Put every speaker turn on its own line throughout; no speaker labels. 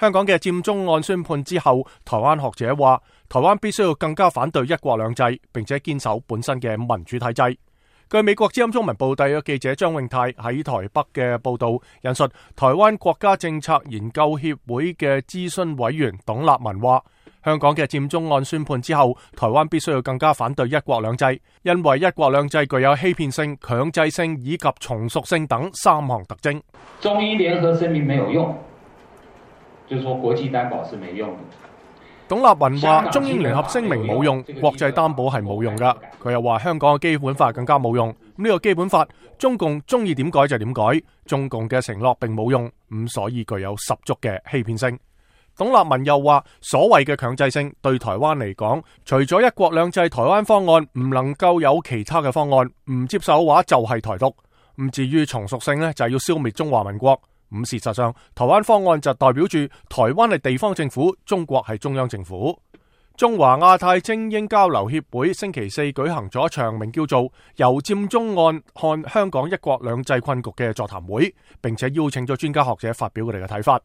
香港嘅佔中案宣判之後，台灣學者話，台灣必須要更加反對一國兩制，並且堅守本身嘅民主體制。據美國之音中文報特約記者張永泰喺台北嘅報道，引述台灣國家政策研究協會嘅諮詢委員董立文話，香港嘅佔中案宣判之後，台灣必須要更加反對一國兩制，因為一國兩制具有欺騙性、強制性以及從屬性等三項特徵。
中英聯合聲明沒有用，就是說國際擔保是沒用的。
董立文話中英聯合聲明冇用，國際擔保係冇用噶。佢又話香港嘅基本法更加冇用。呢個基本法中共中意點改就點改，中共嘅承諾並冇用，咁所以具有十足嘅欺騙性。董立文又話所謂嘅強制性對台灣嚟講，除咗一國兩制台灣方案，唔能夠有其他嘅方案，唔接受嘅話就係台獨。咁至於從屬性呢，就係要消滅中華民國。咁事實上，台灣方案就代表住台灣係地方政府，中國係中央政府。中華亞太精英交流協會星期四舉行咗一場名叫做由佔中案看香港一國兩制困局嘅座談會，並且邀請咗專家學者發表佢哋嘅睇法。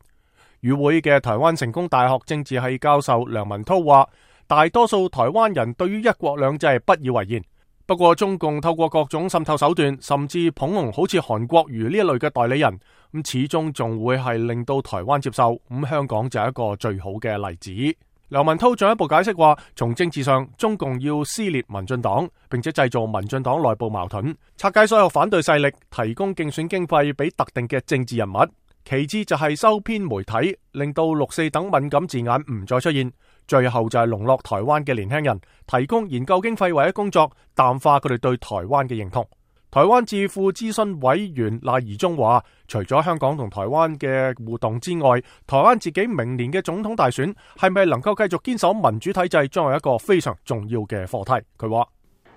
與會嘅台灣成功大學政治系教授梁文韜話，大多數台灣人對於一國兩制不以為然。不過中共透過各種滲透手段，甚至捧紅好似韓國瑜呢一類嘅代理人，咁始終仲會係令到台灣接受。咁香港就係一個最好嘅例子。梁文韜進一步解釋話，從政治上，中共要撕裂民進黨，並且製造民進黨內部矛盾，拆解所有反對勢力，提供競選經費俾特定嘅政治人物。其次就係收編媒體，令到六四等敏感字眼唔再出現。最後就係籠絡台灣嘅年輕人，提供研究經費或者工作，淡化佢哋對台灣嘅認同。台灣智庫諮詢委員賴宜中話，除咗香港同台灣嘅互動之外，台灣自己明年嘅總統大選係咪能夠繼續堅守民主體制，將係一個非常重要嘅課題。佢話，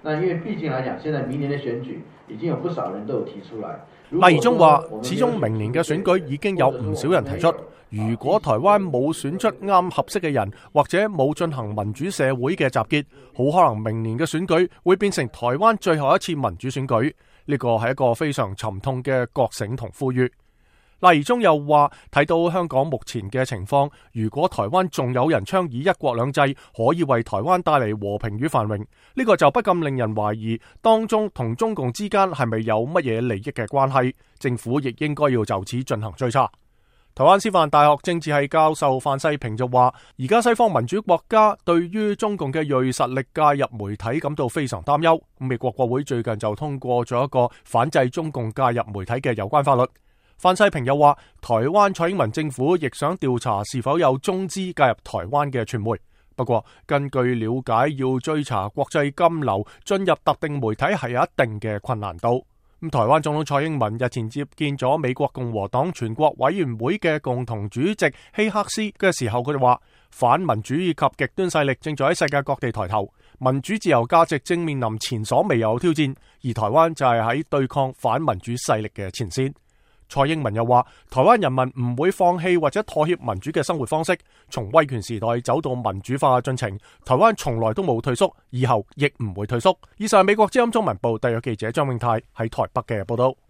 那因為畢竟來講，現在明年的選舉已經有不少人都有提出來。
賴宜中話，始終明年嘅選舉已經有唔少人提出，如果台灣冇選出啱合適嘅人，或者冇進行民主社會嘅集結，好可能明年嘅選舉會變成台灣最後一次民主選舉。呢個係一個非常沉痛嘅覺醒同呼籲。賴宜中又話，睇到香港目前嘅情況，如果台灣仲有人倡議一國兩制可以為台灣帶嚟和平與繁榮，呢個就不禁令人懷疑當中同中共之間係咪有乜嘢利益嘅關係。政府亦應該要就此進行追查。台灣師範大學政治系教授范世平就話，而家西方民主國家對於中共嘅銳實力介入媒體感到非常擔憂。美國國會最近就通過咗一個反制中共介入媒體嘅有關法律。范世平又話，台灣蔡英文政府亦想調查是否有中資介入台灣嘅傳媒。不過根據了解，要追查國際金流進入特定媒體係有一定嘅困難度。台灣總統蔡英文日前接見咗美國共和黨全國委員會嘅共同主席希克斯嘅時候，佢哋話反民主以及極端勢力正在喺世界各地抬頭，民主自由價值正面臨前所未有挑戰，而台灣就係喺對抗反民主勢力嘅前線。蔡英文又話，台灣人民唔會放棄或者妥協民主嘅生活方式，從威權時代走到民主化嘅進程，台灣從來都冇退縮，以後亦唔會退縮。以上係美國之音中文部特約記者張永泰喺台北嘅報道。